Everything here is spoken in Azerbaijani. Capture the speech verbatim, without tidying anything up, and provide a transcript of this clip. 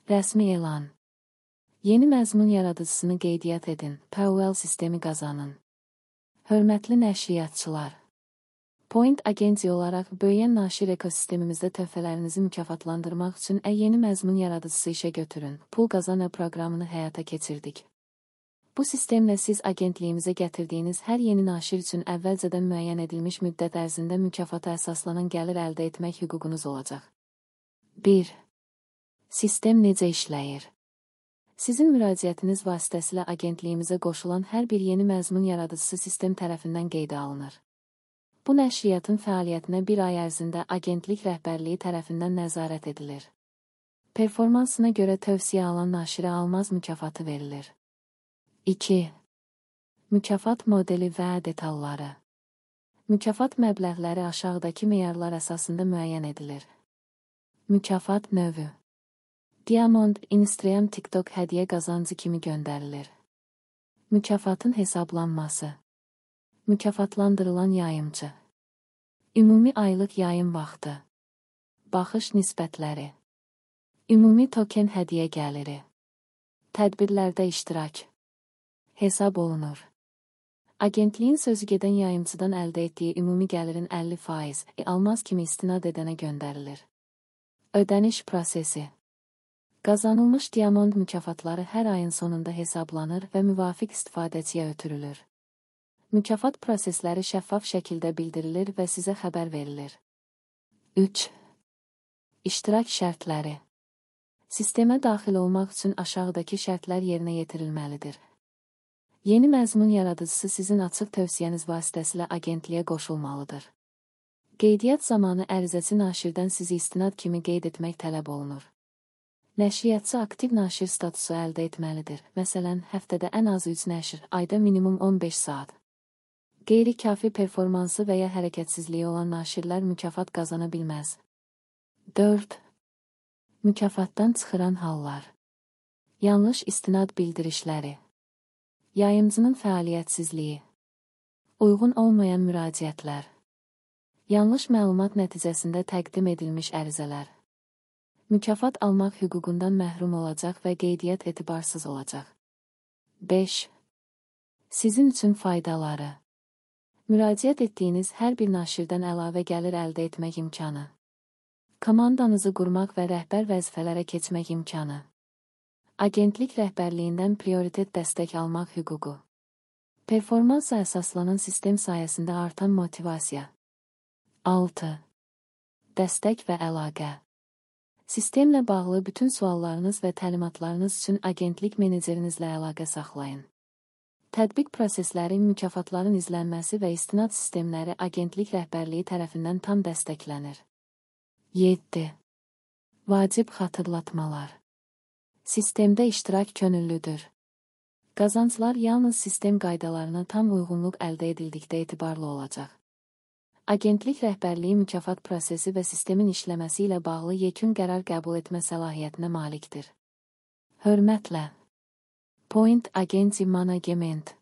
Rəsmi elan. Yeni məzmun yaradıcısını qeydiyyat edin, P O L sistemi qazanın. Hörmətli nəşriyyatçılar. Point Agency olaraq böyüyən naşir ekosistemimizdə töhfələrinizi mükafatlandırmaq üçün ə yeni məzmun yaradıcısı işə götürün, pul qazanı proqramını həyata keçirdik. Bu sistemlə siz agentliyimizə gətirdiyiniz hər yeni naşir üçün əvvəlcədən müəyyən edilmiş müddət ərzində mükafata əsaslanan gəlir əldə etmək hüququnuz olacaq. bir. Sistem necə işləyir? Sizin müraciətiniz vasitəsilə agentliyimizə qoşulan hər bir yeni məzmun yaradıcısı sistem tərəfindən qeydə alınır. Bu nəşriyyatın fəaliyyətinə bir ay ərzində agentlik rəhbərliyi tərəfindən nəzarət edilir. Performansına görə tövsiyə alan naşirə almaz mükafatı verilir. iki. Mükafat modeli və detalları. Mükafat məbləğləri aşağıdakı meyarlar əsasında müəyyən edilir. Mükafat növü. Diamond, Instagram, TikTok hədiyyə qazancı kimi göndərilir. Mükafatın hesablanması. Mükafatlandırılan yayımçı. Ümumi aylıq yayım vaxtı. Baxış nisbətləri. Ümumi token hədiyyə gəliri. Tədbirlərdə iştirak. Hesab olunur. Agentliyin sözügedən yayımçıdan əldə etdiyi ümumi gəlirin əlli faiz almaz kimi istinad edənə göndərilir. Ödəniş prosesi. Qazanılmış diamond mükafatları hər ayın sonunda hesablanır və müvafiq istifadəçiyə ötürülür. Mükafat prosesləri şəffaf şəkildə bildirilir və sizə xəbər verilir. üç. İştirak şərtləri. Sistemə daxil olmaq üçün aşağıdakı şərtlər yerinə yetirilməlidir. Yeni məzmun yaradıcısı sizin açıq tövsiyəniz vasitəsilə agentliyə qoşulmalıdır. Qeydiyyat zamanı ərizəçi naşirdən sizi istinad kimi qeyd etmək tələb olunur. Nəşriyyatçı aktiv naşir statusu əldə etməlidir. Məsələn, həftədə ən az üç nəşr, ayda minimum on beş saat. Qeyri-kafi performansı və ya hərəkətsizliyi olan naşirlər mükafat qazana bilməz. dörd. Mükafatdan çıxıran hallar. Yanlış istinad bildirişləri. Yayımcının fəaliyyətsizliyi. Uyğun olmayan müraciətlər. Yanlış məlumat nəticəsində təqdim edilmiş ərizələr. Mükafat almaq hüququndan məhrum olacaq və qeydiyyat etibarsız olacaq. beş. Sizin üçün faydaları. Müraciət etdiyiniz hər bir naşirdən əlavə gəlir əldə etmək imkanı. Komandanızı qurmaq və rəhbər vəzifələrə keçmək imkanı. Agentlik rəhbərliyindən prioritet dəstək almaq hüququ. Performansa əsaslanan sistem sayəsində artan motivasiya. altı. Dəstək və əlaqə. Sistemlə bağlı bütün suallarınız və təlimatlarınız üçün agentlik menecerinizlə əlaqə saxlayın. Tətbiq prosesləri, mükafatların izlənməsi və istinad sistemləri agentlik rəhbərliyi tərəfindən tam dəstəklənir. yeddi. Vacib xatırlatmalar. Sistemdə iştirak könüllüdür. Qazanclar yalnız sistem qaydalarına tam uyğunluq əldə edildikdə etibarlı olacaq. Agentlik rəhbərliyi mükafat prosesi və sistemin işləməsi ilə bağlı yekun qərar qəbul etmə səlahiyyətinə malikdir. Hörmətlə. Point Agency Management.